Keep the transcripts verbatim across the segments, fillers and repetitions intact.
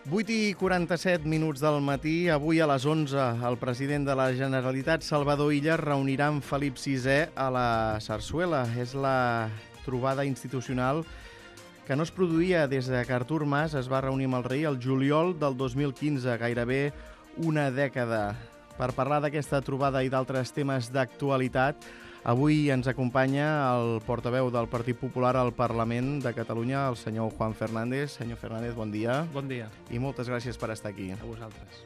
vuit i quaranta-set minuts del matí. Avui a les onze el president de la Generalitat, Salvador Illa, reunirà amb Felip sisè a la Sarsuela. És la trobada institucional que no es produïa des de que Artur Mas es va reunir amb el rei el juliol del dos mil quinze, gairebé una dècada. Per parlar d'aquesta trobada i d'altres temes d'actualitat, avui ens acompanya el portaveu del Partit Popular al Parlament de Catalunya, el senyor Juan Fernández. Senyor Fernández, bon dia. Bon dia. I moltes gràcies per estar aquí. A vosaltres.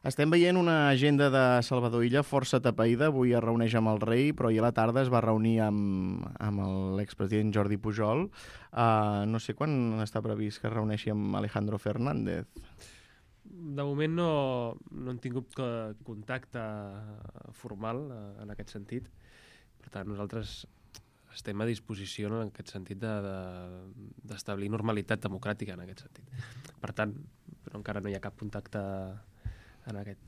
Estem veient una agenda de Salvador Illa força tapaïda. Avui es reuneix amb el rei, però ahir a la tarda es va reunir amb, amb l'expresident Jordi Pujol. Uh, no sé quan està previst que es reuneixi amb Alejandro Fernández. De moment no, no hem tingut contacte formal en aquest sentit. Per tant, nosaltres estem a disposició en aquest sentit d'establir de, de, normalitat democràtica en aquest sentit. Per tant, però encara no hi ha cap contacte en aquest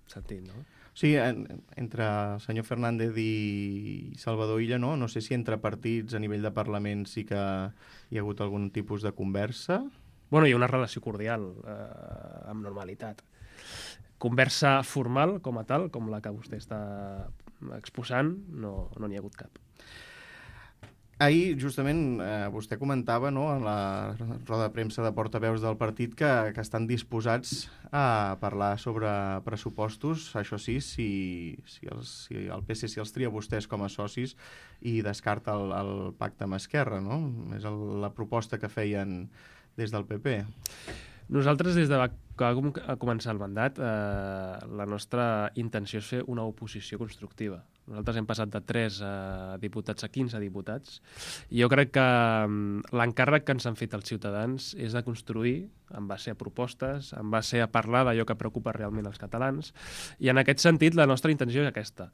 sentit, no? Sí, en, entre el senyor Fernández i Salvador Illa, no? No sé si entre partits a nivell de Parlament sí que hi ha hagut algun tipus de conversa. Bueno, hi ha una relació cordial, eh, amb normalitat. Conversa formal com a tal, com la que vostè està exposant, no no n'hi ha hagut cap. Ahir, justament, eh, vostè comentava, no, en la roda de premsa de portaveus del partit que, que estan disposats a parlar sobre pressupostos, això sí, si, si, els, si el P S C els tria vostès com a socis i descarta el, el pacte amb Esquerra, no? És el, la proposta que feien des del P P. Nosaltres, des de que va començar el mandat, eh, la nostra intenció és fer una oposició constructiva. Nosaltres hem passat de tres eh, diputats a quinze diputats i jo crec que l'encàrrec que ens han fet els ciutadans és de construir en base a propostes, en base a parlar d'allò que preocupa realment els catalans, i en aquest sentit la nostra intenció és aquesta.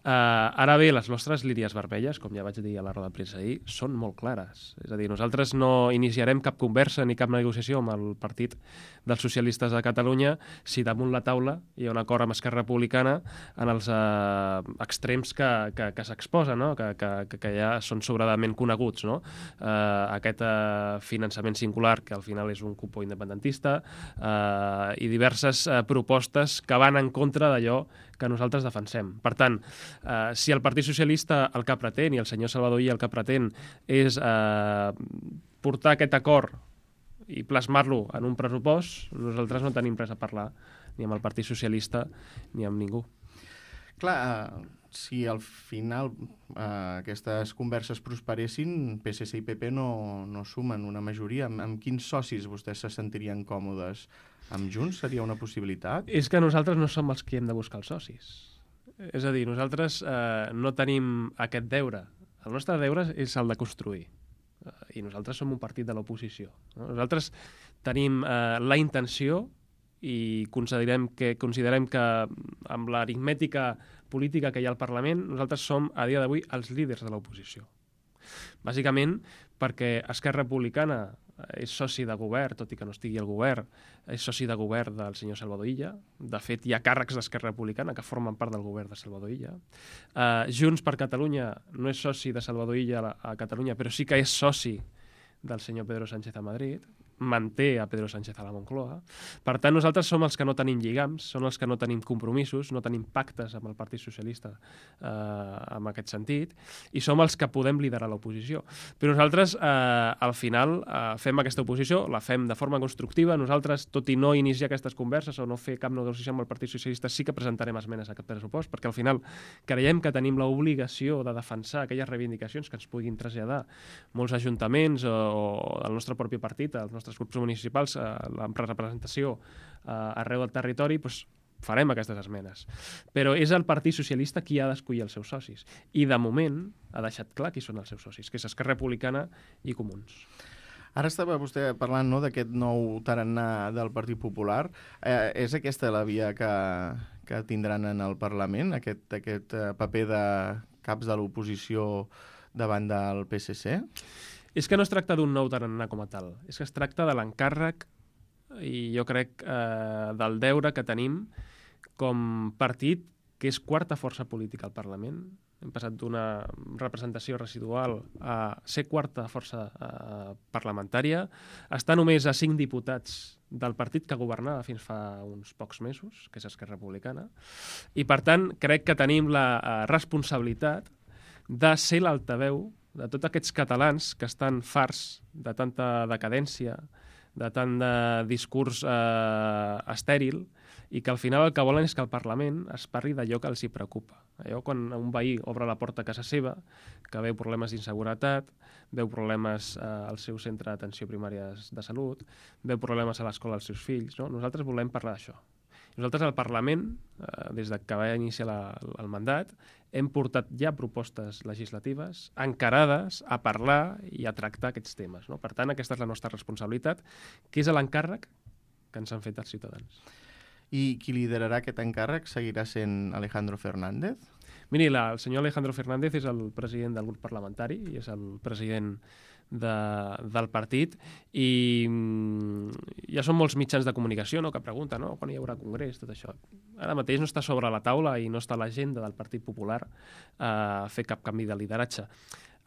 Eh, ara bé, les nostres línies vermelles, com ja vaig dir a la roda de premsa ahir, són molt clares. És a dir, nosaltres no iniciarem cap conversa ni cap negociació amb el Partit dels Socialistes de Catalunya si damunt la taula hi ha un acord amb Esquerra Republicana en els eh, extrems que, que, que s'exposen, no? que, que, que ja són sobradament coneguts. No? Eh, aquest eh, finançament singular, que al final és un cupó independentista, eh, i diverses eh, propostes que van en contra d'allò que nosaltres defensem. Per tant, eh, si el Partit Socialista el que pretén, i el senyor Salvador Illa el que pretén, és eh, portar aquest acord i plasmar-lo en un pressupost, nosaltres no tenim res a parlar ni amb el Partit Socialista ni amb ningú. Clar, si al final eh, aquestes converses prosperessin, P S C i P P no, no sumen una majoria. Amb, amb quins socis vostès se sentirien còmodes? Amb Junts seria una possibilitat? És que nosaltres no som els que hem de buscar els socis. És a dir, nosaltres eh, no tenim aquest deure. El nostre deure és el de construir. I nosaltres som un partit de l'oposició. Nosaltres tenim eh, la intenció i considerem que, considerem que amb l'aritmètica política que hi ha al Parlament, nosaltres som a dia d'avui els líders de l'oposició. Bàsicament perquè Esquerra Republicana és soci de govern, tot i que no estigui al govern, és soci de govern del senyor Salvador Illa. De fet, hi ha càrrecs d'Esquerra Republicana que formen part del govern de Salvador Illa. Uh, Junts per Catalunya no és soci de Salvador Illa a, a Catalunya, però sí que és soci del senyor Pedro Sánchez a Madrid, manté a Pedro Sánchez a la Moncloa. Per tant, nosaltres som els que no tenim lligams, som els que no tenim compromisos, no tenim pactes amb el Partit Socialista eh, en aquest sentit, i som els que podem liderar l'oposició. Però nosaltres, eh, al final, eh, fem aquesta oposició, la fem de forma constructiva. Nosaltres, tot i no iniciar aquestes converses o no fer cap negociació amb el Partit Socialista, sí que presentarem esmenes a aquest pressupost, perquè al final creiem que tenim l'obligació de defensar aquelles reivindicacions que ens puguin traslladar molts ajuntaments o, o el nostre propi partit, els nostres grups municipals, eh, la representació eh, arreu del territori, doncs farem aquestes esmenes. Però és el Partit Socialista qui ha d'escollir els seus socis. I de moment ha deixat clar qui són els seus socis, que és Esquerra Republicana i Comuns. Ara estava vostè parlant, no, d'aquest nou tarannà del Partit Popular. Eh, és aquesta la via que, que tindran en el Parlament, aquest, aquest paper de caps de l'oposició davant del P S C? És que no es tracta d'un nou tarannà com a tal, és que es tracta de l'encàrrec i jo crec eh, del deure que tenim com partit que és quarta força política al Parlament. Hem passat d'una representació residual a ser quarta força eh, parlamentària. Està només a cinc diputats del partit que governava fins fa uns pocs mesos, que és Esquerra Republicana. I, per tant, crec que tenim la eh, responsabilitat de ser l'altaveu de tots aquests catalans que estan farts de tanta decadència, de tant de discurs eh, estèril, i que al final el que volen és que el Parlament es parli d'allò que els hi preocupa. Allò quan un veí obre la porta a casa seva, que veu problemes d'inseguretat, veu problemes eh, al seu centre d'atenció primària de salut, veu problemes a l'escola dels seus fills. No? Nosaltres volem parlar d'això. Nosaltres al Parlament, eh, des que va iniciar la, el mandat, hem portat ja propostes legislatives encarades a parlar i a tractar aquests temes. No? Per tant, aquesta és la nostra responsabilitat, que és l'encàrrec que ens han fet els ciutadans. I qui liderarà aquest encàrrec seguirà sent Alejandro Fernández? Miri, la, el senyor Alejandro Fernández és el president del grup parlamentari i és el president de, del partit i mm, ja són molts mitjans de comunicació, no?, que pregunten, no?, quan hi haurà congrés, tot això. Ara mateix no està sobre la taula i no està a l'agenda del Partit Popular a fer cap canvi de lideratge.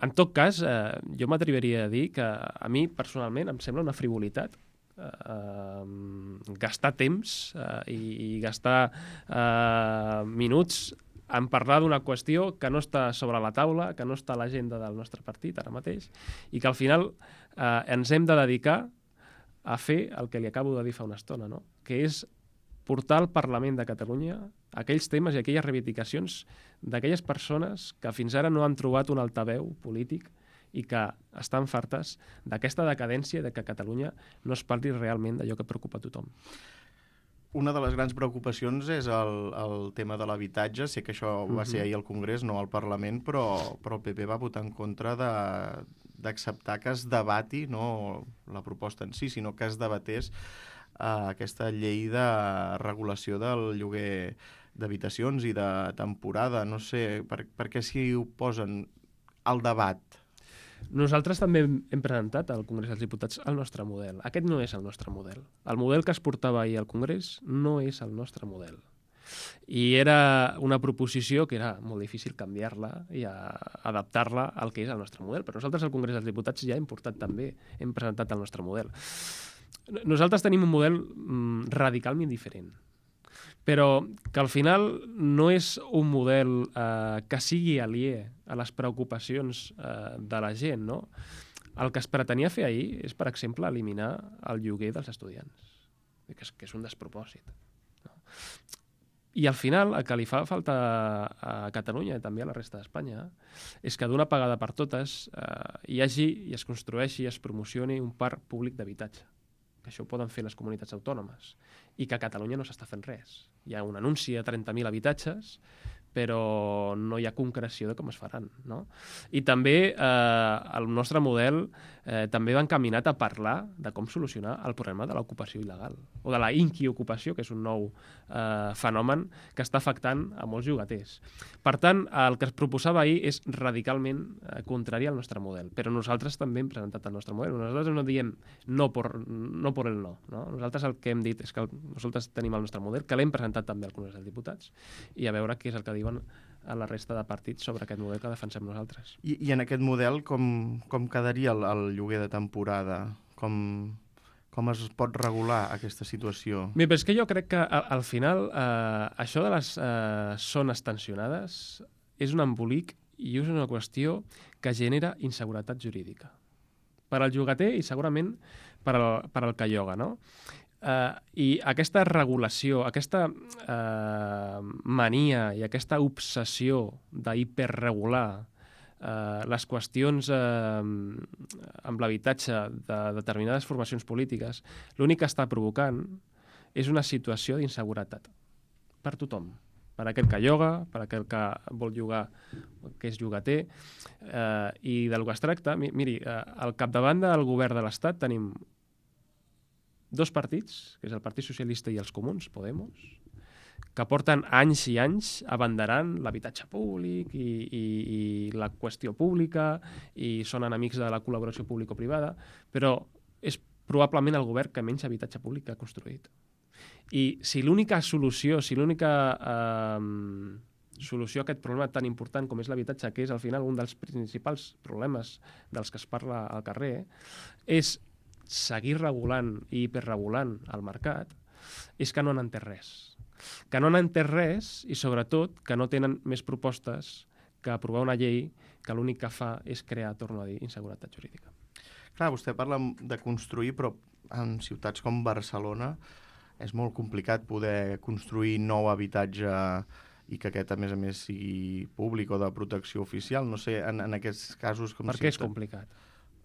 En tot cas, eh, jo m'atreviria a dir que a mi personalment em sembla una frivolitat Uh, gastar temps uh, i, i gastar uh, minuts en parlar d'una qüestió que no està sobre la taula, que no està a l'agenda del nostre partit ara mateix, i que al final uh, ens hem de dedicar a fer el que li acabo de dir fa una estona, no? Que és portar al Parlament de Catalunya aquells temes i aquelles reivindicacions d'aquelles persones que fins ara no han trobat un altaveu polític i que estan fartes d'aquesta decadència de que a Catalunya no es parli realment d'allò que preocupa a tothom. Una de les grans preocupacions és el, el tema de l'habitatge. Sé que això va ser ahir al Congrés, no al Parlament, però, però el P P va votar en contra de, d'acceptar que es debati, no la proposta en si, sinó que es debatés eh, aquesta llei de regulació del lloguer d'habitacions i de temporada. No sé, per, per què s'hi oposen al debat? Nosaltres també hem presentat al Congrés dels Diputats el nostre model. Aquest no és el nostre model. El model que es portava ahir al Congrés no és el nostre model. I era una proposició que era molt difícil canviar-la i adaptar-la al que és el nostre model. Però nosaltres al Congrés dels Diputats ja hem portat també, hem presentat el nostre model. Nosaltres tenim un model mm, radicalment diferent, però que al final no és un model eh, que sigui aliè a les preocupacions eh, de la gent, no? El que es pretenia fer ahir és, per exemple, eliminar el lloguer dels estudiants, que és, que és un despropòsit. No? I al final el que li fa falta a Catalunya i també a la resta d'Espanya és que d'una vegada per totes eh, hi hagi i es construeixi i es promocioni un parc públic d'habitatge, que això ho poden fer les comunitats autònomes, i que a Catalunya no s'està fent res. Hi ha un anunci de trenta mil habitatges, però no hi ha concreció de com es faran, no? I també eh, el nostre model eh, també va encaminat a parlar de com solucionar el problema de l'ocupació il·legal, o de la inquiocupació, que és un nou eh, fenomen que està afectant a molts llogaters. Per tant, el que es proposava ahir és radicalment eh, contrari al nostre model, però nosaltres també hem presentat el nostre model. Nosaltres no diem no por, no por el no, no. Nosaltres el que hem dit és que nosaltres tenim el nostre model, que l'hem presentat també al Congrés dels Diputats, i a veure què és el que diuen a la resta de partits sobre aquest model que defensem nosaltres. I, i en aquest model com, com quedaria el, el lloguer de temporada? Com, com es pot regular aquesta situació? Bé, però és que jo crec que al, al final eh, això de les eh, zones tensionades és un embolic i és una qüestió que genera inseguretat jurídica per al llogater i segurament per al, per al que lloga, no? Uh, I aquesta regulació, aquesta uh, mania i aquesta obsessió d'hiperregular uh, les qüestions uh, amb l'habitatge de determinades formacions polítiques, l'únic que està provocant és una situació d'inseguretat per tothom, per aquell que lloga, per aquell que vol llogar, que és llogater, uh, i del que es tracta, miri, uh, al capdavant del govern de l'Estat tenim dos partits, que és el Partit Socialista i els Comuns, Podemos, que porten anys i anys abanderant l'habitatge públic i, i, i la qüestió pública i són enemics de la col·laboració público-privada, però és probablement el govern que menys habitatge públic ha construït. I si l'única solució, si l'única eh, solució a aquest problema tan important com és l'habitatge, que és al final un dels principals problemes dels que es parla al carrer, és seguir regulant i hiperregulant el mercat, és que no han entès res. Que no han entès res i, sobretot, que no tenen més propostes que aprovar una llei que l'únic que fa és crear, torno a dir, inseguretat jurídica. Clar, vostè parla de construir, però en ciutats com Barcelona és molt complicat poder construir nou habitatge i que aquest, a més a més, sigui públic o de protecció oficial. No sé, en, en aquests casos... Com per què és complicat?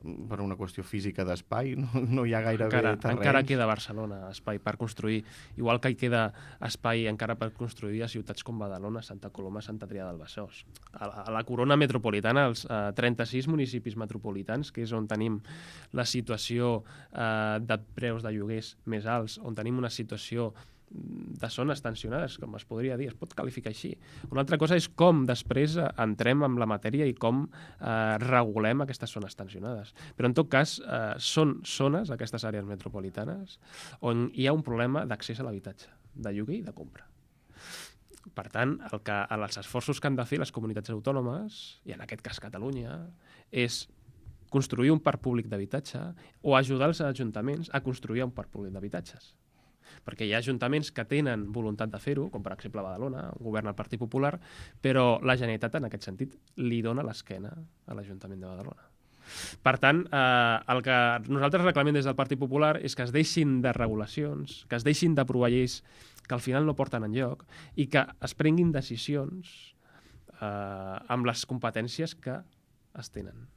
Per una qüestió física d'espai, no, no hi ha gairebé encara, terrenys. Encara queda a Barcelona espai per construir, igual que hi queda espai encara per construir a ciutats com Badalona, Santa Coloma, Sant Adrià del Besòs. A la, a la corona metropolitana, els eh, trenta-sis municipis metropolitans, que és on tenim la situació eh, de preus de lloguers més alts, on tenim una situació de zones tensionades, com es podria dir, es pot qualificar així. Una altra cosa és com després entrem en la matèria i com eh, regulem aquestes zones tensionades. Però en tot cas, eh, són zones, aquestes àrees metropolitanes, on hi ha un problema d'accés a l'habitatge, de lloguer i de compra. Per tant, el que, els esforços que han de fer les comunitats autònomes, i en aquest cas Catalunya, és construir un parc públic d'habitatge o ajudar els ajuntaments a construir un parc públic d'habitatges. Perquè hi ha ajuntaments que tenen voluntat de fer-ho, com per exemple Badalona, on governa el Partit Popular, però la Generalitat, en aquest sentit, li dona l'esquena a l'Ajuntament de Badalona. Per tant, eh, el que nosaltres reclamem des del Partit Popular és que es deixin de regulacions, que es deixin d'aprovar lleis que al final no porten enlloc i que es prenguin decisions eh, amb les competències que es tenen.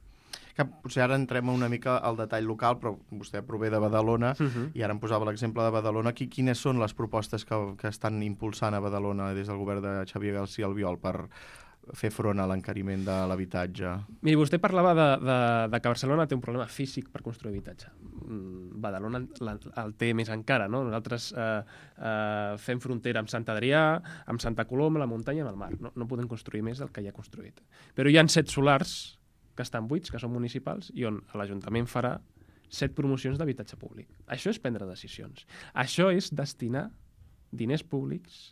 Que potser ara entrem una mica al detall local, però vostè prové de Badalona, uh-huh. i ara em posava l'exemple de Badalona. Quines són les propostes que, que estan impulsant a Badalona des del govern de Xavier García Albiol per fer front a l'encariment de l'habitatge? Miri, vostè parlava de, de, de que Barcelona té un problema físic per construir habitatge. Badalona la, el té més encara, no? Nosaltres eh, eh, fem frontera amb Sant Adrià, amb Santa Coloma, la muntanya i amb el mar. No, no podem construir més del que hi ha construït. Però hi ha set solars que estan buits, que són municipals, i on l'Ajuntament farà set promocions d'habitatge públic. Això és prendre decisions. Això és destinar diners públics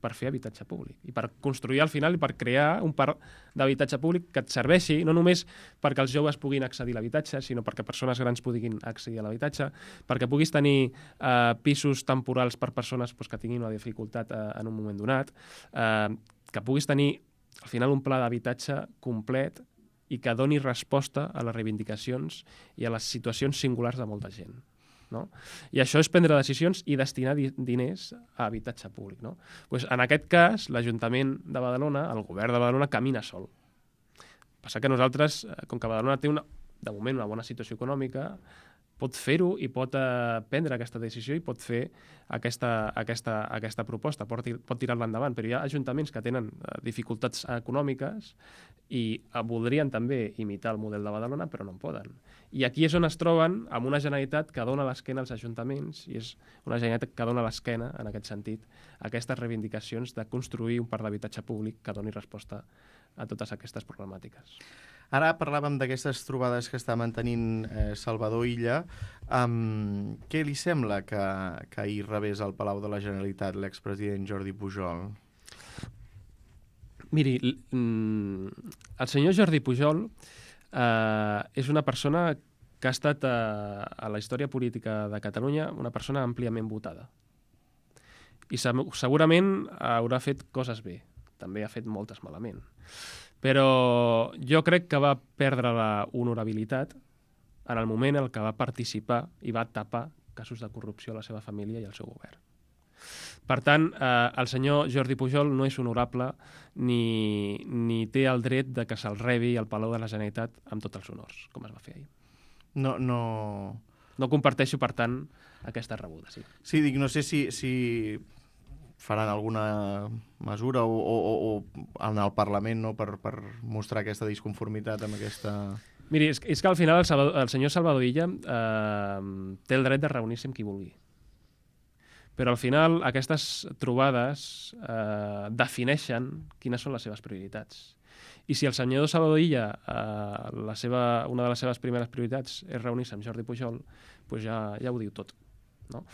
per fer habitatge públic i per construir al final i per crear un parc d'habitatge públic que et serveixi no només perquè els joves puguin accedir a l'habitatge, sinó perquè persones grans puguin accedir a l'habitatge, perquè puguis tenir eh, pisos temporals per persones pues, que tinguin una dificultat eh, en un moment donat, eh, que puguis tenir al final un pla d'habitatge complet i que doni resposta a les reivindicacions i a les situacions singulars de molta gent. No? I això és prendre decisions i destinar di diners a habitatge públic. No? Pues en aquest cas, l'Ajuntament de Badalona, el govern de Badalona, camina sol. Passa que nosaltres, com que Badalona té una, de moment una bona situació econòmica, pot fer-ho i pot eh, prendre aquesta decisió i pot fer aquesta, aquesta, aquesta proposta, pot, pot tirar-la endavant. Però hi ha ajuntaments que tenen eh, dificultats econòmiques i eh, voldrien també imitar el model de Badalona, però no en poden. I aquí és on es troben amb una Generalitat que dona l'esquena als ajuntaments i és una Generalitat que dona l'esquena, en aquest sentit, a aquestes reivindicacions de construir un parc d'habitatge públic que doni resposta a totes aquestes problemàtiques. Ara parlàvem d'aquestes trobades que està mantenint eh, Salvador Illa. Um, què li sembla que, que ahir rebés al Palau de la Generalitat l'expresident Jordi Pujol? Miri, el senyor Jordi Pujol eh, és una persona que ha estat eh, a la història política de Catalunya una persona àmpliament votada. I segurament haurà fet coses bé, també ha fet moltes malament. Però jo crec que va perdre la honorabilitat en el moment en què va participar i va tapar casos de corrupció a la seva família i al seu govern. Per tant, eh, el senyor Jordi Pujol no és honorable ni, ni té el dret de que se'l rebi al Palau de la Generalitat amb tots els honors, com es va fer ahir. No, no... No comparteixo, per tant, aquesta rebuda, sí. Sí, dic, no sé si... si... faran alguna mesura o, o, o en el Parlament, no, per, per mostrar aquesta disconformitat amb aquesta... Miri, és, és que al final el, Salvador, el senyor Salvador Illa eh, té el dret de reunir-se amb qui vulgui. Però al final aquestes trobades eh, defineixen quines són les seves prioritats. I si el senyor Salvador Illa, eh, la seva, una de les seves primeres prioritats és reunir-se amb Jordi Pujol, doncs ja, ja ho diu tot. No?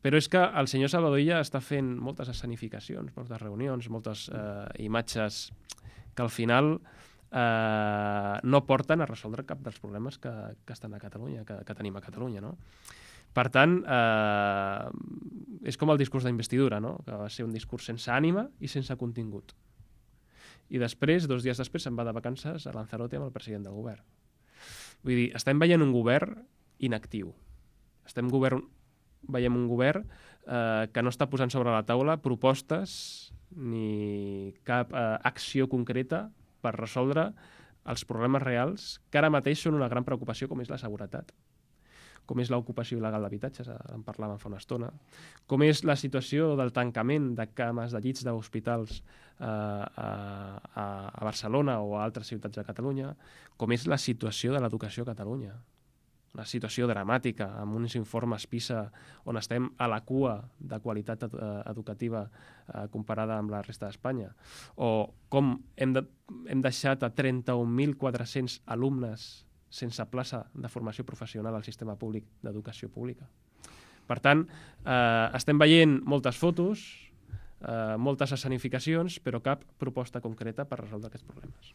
però és que el senyor Salvador Illa està fent moltes escenificacions, moltes reunions, moltes eh, imatges que al final eh, no porten a resoldre cap dels problemes que, que estan a Catalunya, que, que tenim a Catalunya, no? Per tant, eh, és com el discurs d'investidura, no? Que va ser un discurs sense ànima i sense contingut. I després, dos dies després, se'n va de vacances a Lanzarote amb el president del govern. Vull dir, estem veient un govern inactiu. Estem govern, veiem un govern eh, que no està posant sobre la taula propostes ni cap eh, acció concreta per resoldre els problemes reals que ara mateix són una gran preocupació, com és la seguretat, com és l'ocupació il·legal d'habitatges, en parlàvem fa una estona, com és la situació del tancament de cames de llits d'hospitals eh, a, a, a Barcelona o a altres ciutats de Catalunya, com és la situació de l'educació a Catalunya. Una situació dramàtica, amb uns informes PISA on estem a la cua de qualitat ed educativa eh, comparada amb la resta d'Espanya. O com hem, de, hem deixat a trenta-un mil quatre-cents alumnes sense plaça de formació professional al sistema públic d'educació pública. Per tant, eh, estem veient moltes fotos, eh, moltes escenificacions, però cap proposta concreta per resoldre aquests problemes.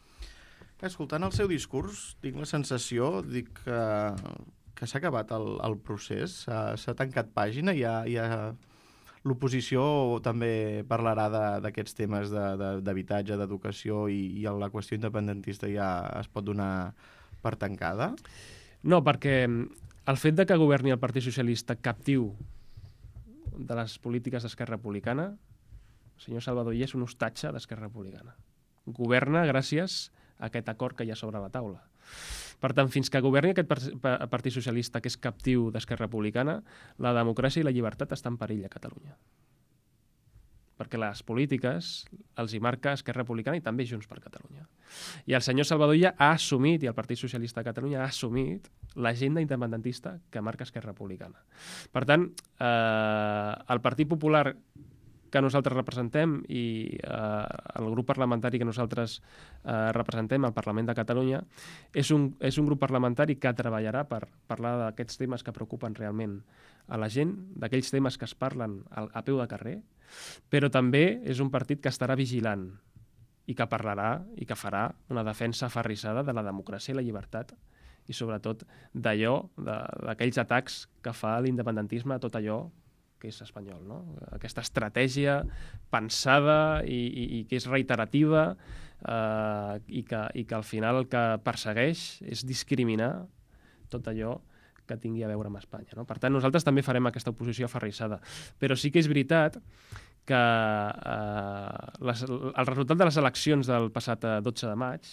Escoltant el seu discurs, tinc la sensació dic, que, que s'ha acabat el, el procés, s'ha tancat pàgina, i ja, ja l'oposició també parlarà d'aquests temes d'habitatge, de, d'educació, i, i la qüestió independentista ja es pot donar per tancada? No, perquè el fet de que governi el Partit Socialista captiu de les polítiques d'Esquerra Republicana, el senyor Salvador Illa és un hostatge d'Esquerra Republicana. Governa gràcies a aquest acord que hi ha sobre la taula. Per tant, fins que governi aquest Partit Socialista que és captiu d'Esquerra Republicana, la democràcia i la llibertat estan en perill a Catalunya. Perquè les polítiques els hi marca Esquerra Republicana i també Junts per Catalunya. I el senyor Salvador Illa ha assumit, i el Partit Socialista de Catalunya ha assumit, l'agenda independentista que marca Esquerra Republicana. Per tant, eh, el Partit Popular que nosaltres representem i eh, el grup parlamentari que nosaltres eh, representem al Parlament de Catalunya és un, és un grup parlamentari que treballarà per parlar d'aquests temes que preocupen realment a la gent, d'aquells temes que es parlen a, a peu de carrer, però també és un partit que estarà vigilant i que parlarà i que farà una defensa aferrissada de la democràcia i la llibertat i sobretot d'allò, d'aquells atacs que fa l'independentisme a tot allò que és espanyol, no? Aquesta estratègia pensada i, i, i que és reiterativa eh, i, que, i que al final el que persegueix és discriminar tot allò que tingui a veure amb Espanya, no? Per tant, nosaltres també farem aquesta oposició aferrissada. Però sí que és veritat que eh, les, el resultat de les eleccions del passat dotze de maig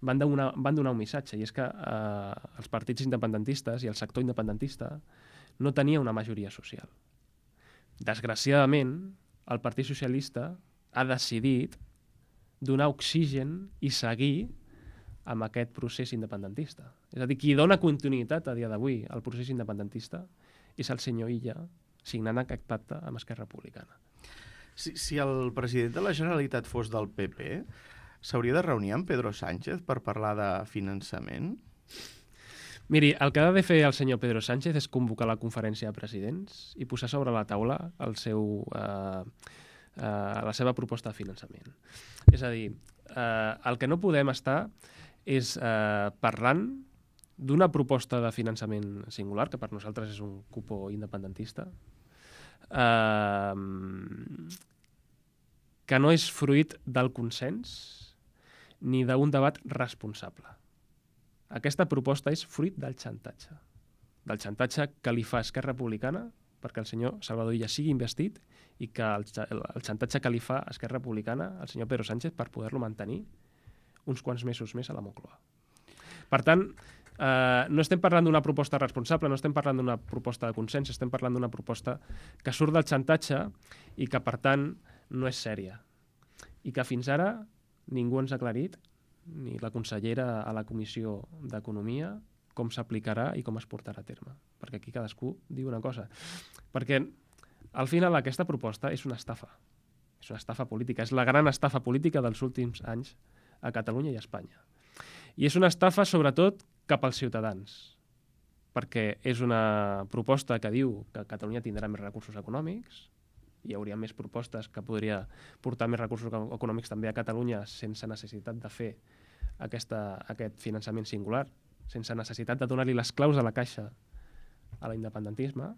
van donar, van donar un missatge, i és que eh, els partits independentistes i el sector independentista no tenia una majoria social. Desgraciadament, el Partit Socialista ha decidit donar oxigen i seguir amb aquest procés independentista. És a dir, qui dona continuïtat a dia d'avui al procés independentista és el senyor Illa, signant aquest pacte amb Esquerra Republicana. Si, si el president de la Generalitat fos del P P, s'hauria de reunir amb Pedro Sánchez per parlar de finançament? Miri, el que ha de fer el senyor Pedro Sánchez és convocar la conferència de presidents i posar sobre la taula el seu, eh, eh, la seva proposta de finançament. És a dir, eh, el que no podem estar és eh, parlant d'una proposta de finançament singular, que per nosaltres és un cupo independentista, eh, que no és fruit del consens ni d'un debat responsable. Aquesta proposta és fruit del xantatge. Del xantatge que li fa Esquerra Republicana perquè el senyor Salvador Illa sigui investit i que el, el xantatge que li fa Esquerra Republicana al senyor Pedro Sánchez per poder-lo mantenir uns quants mesos més a la Moncloa. Per tant, eh, no estem parlant d'una proposta responsable, no estem parlant d'una proposta de consens, estem parlant d'una proposta que surt del xantatge i que, per tant, no és sèria. I que fins ara ningú ens ha aclarit, ni la consellera a la Comissió d'Economia, com s'aplicarà i com es portarà a terme. Perquè aquí cadascú diu una cosa. Perquè, al final, aquesta proposta és una estafa. És una estafa política. És la gran estafa política dels últims anys a Catalunya i a Espanya. I és una estafa, sobretot, cap als ciutadans. perquè és una proposta que diu que Catalunya tindrà més recursos econòmics, hi hauria més propostes que podria portar més recursos econòmics també a Catalunya sense necessitat de fer aquesta, aquest finançament singular, sense necessitat de donar-li les claus de la caixa a l'independentisme,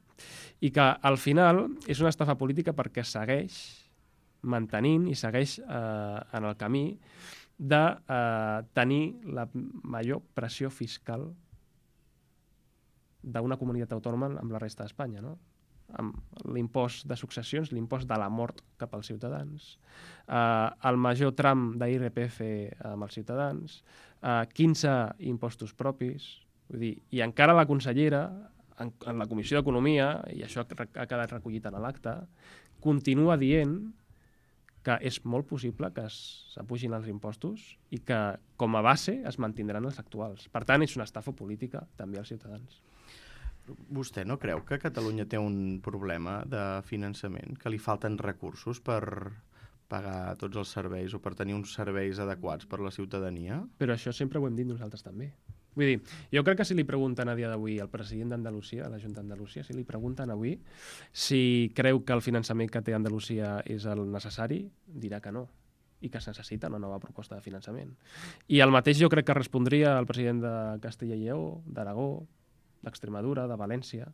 i que al final és una estafa política perquè segueix mantenint i segueix eh, en el camí de eh, tenir la major pressió fiscal d'una comunitat autònoma amb la resta d'Espanya, no? Amb l'impost de successions, l'impost de la mort cap als ciutadans, eh, el major tram d'I R P F amb els ciutadans, eh, quinze impostos propis, vull dir, i encara la consellera, en, en la Comissió d'Economia, i això ha quedat recollit en l'acte, continua dient que és molt possible que s'apugin els impostos i que, com a base, es mantindran els actuals. Per tant, és una estafa política també als ciutadans. Vostè no creu que Catalunya té un problema de finançament, que li falten recursos per pagar tots els serveis o per tenir uns serveis adequats per la ciutadania? Però això sempre ho hem dit nosaltres també. Vull dir, jo crec que si li pregunten a dia d'avui al president d'Andalusia, a la Junta d'Andalusia, si li pregunten avui si creu que el finançament que té Andalusia és el necessari, dirà que no, i que es necessita una nova proposta de finançament. I el mateix jo crec que respondria el president de Castella i Lleó, d'Aragó, d'Extremadura, de València,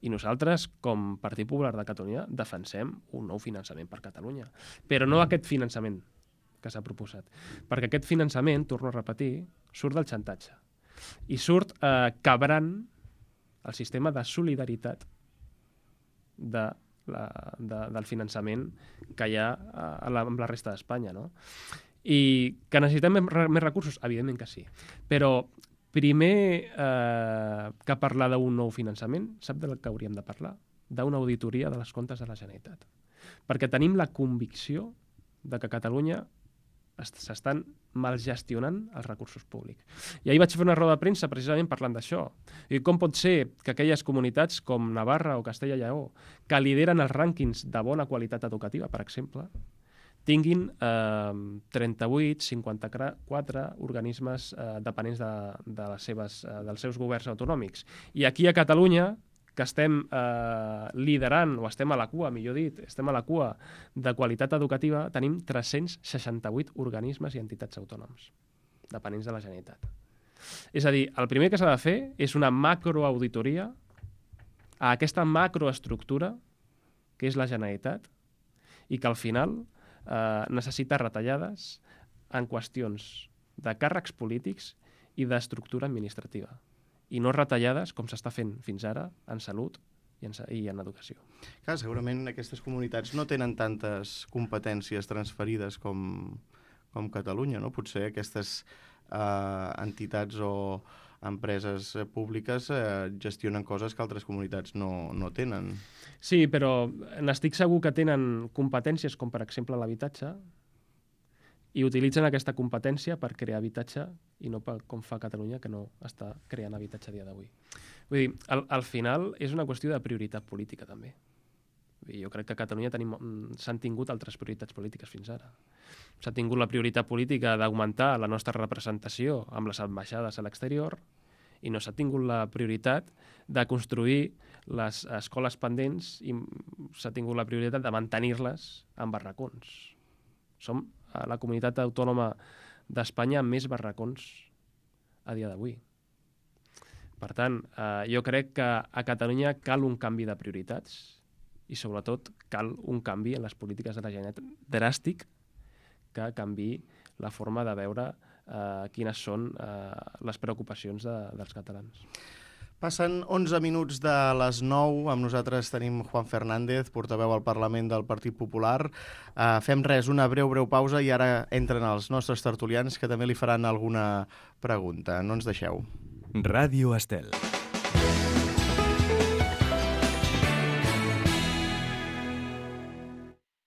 i nosaltres, com Partit Popular de Catalunya, defensem un nou finançament per Catalunya. Però no aquest finançament que s'ha proposat. Perquè aquest finançament, torno a repetir, surt del xantatge. I surt eh, quebrant el sistema de solidaritat de la, de, del finançament que hi ha a la, amb la resta d'Espanya, no? I que necessitem més, més recursos? Evidentment que sí. Però primer eh, que parlar d'un nou finançament, sap del que hauríem de parlar? D'una auditoria de les comptes de la Generalitat. Perquè tenim la convicció de que a Catalunya s'estan malgestionant els recursos públics. I ahir vaig fer una roda de premsa precisament parlant d'això. I com pot ser que aquelles comunitats com Navarra o Castella i Lleó, que lideren els rànquings de bona qualitat educativa, per exemple, tinguin eh, trenta-vuit, cinquanta-quatre organismes eh, dependents de, de les seves, eh, dels seus governs autonòmics. I aquí a Catalunya, que estem eh, liderant, o estem a la cua, millor dit, estem a la cua de qualitat educativa, tenim tres-cents seixanta-vuit organismes i entitats autònoms dependents de la Generalitat. És a dir, el primer que s'ha de fer és una macroauditoria a aquesta macroestructura que és la Generalitat i que al final eh, necessita retallades en qüestions de càrrecs polítics i d'estructura administrativa, i no retallades com s'està fent fins ara en salut i en, i en educació. Clar, segurament aquestes comunitats no tenen tantes competències transferides com, com Catalunya, no? Potser aquestes eh, entitats o empreses públiques eh, gestionen coses que altres comunitats no, no tenen. Sí, però n'estic segur que tenen competències com, per exemple, l'habitatge, i utilitzen aquesta competència per crear habitatge i no per, com fa Catalunya, que no està creant habitatge a dia d'avui. Vull dir, al, al final és una qüestió de prioritat política, també. Vull dir, jo crec que a Catalunya s'han tingut altres prioritats polítiques fins ara. S'ha tingut la prioritat política d'augmentar la nostra representació amb les ambaixades a l'exterior i no s'ha tingut la prioritat de construir les escoles pendents i s'ha tingut la prioritat de mantenir-les en barracons. Som la comunitat autònoma d'Espanya amb més barracons a dia d'avui. Per tant, eh, jo crec que a Catalunya cal un canvi de prioritats i, sobretot, cal un canvi en les polítiques de la Generalitat dràstic que canviï la forma de veure eh, quines són eh, les preocupacions de, dels catalans. Passen onze minuts de les nou. Amb nosaltres tenim Juan Fernández, portaveu al Parlament del Partit Popular. Uh, fem res, una breu, breu pausa i ara entren els nostres tertulians que també li faran alguna pregunta. No ens deixeu. Ràdio Estel.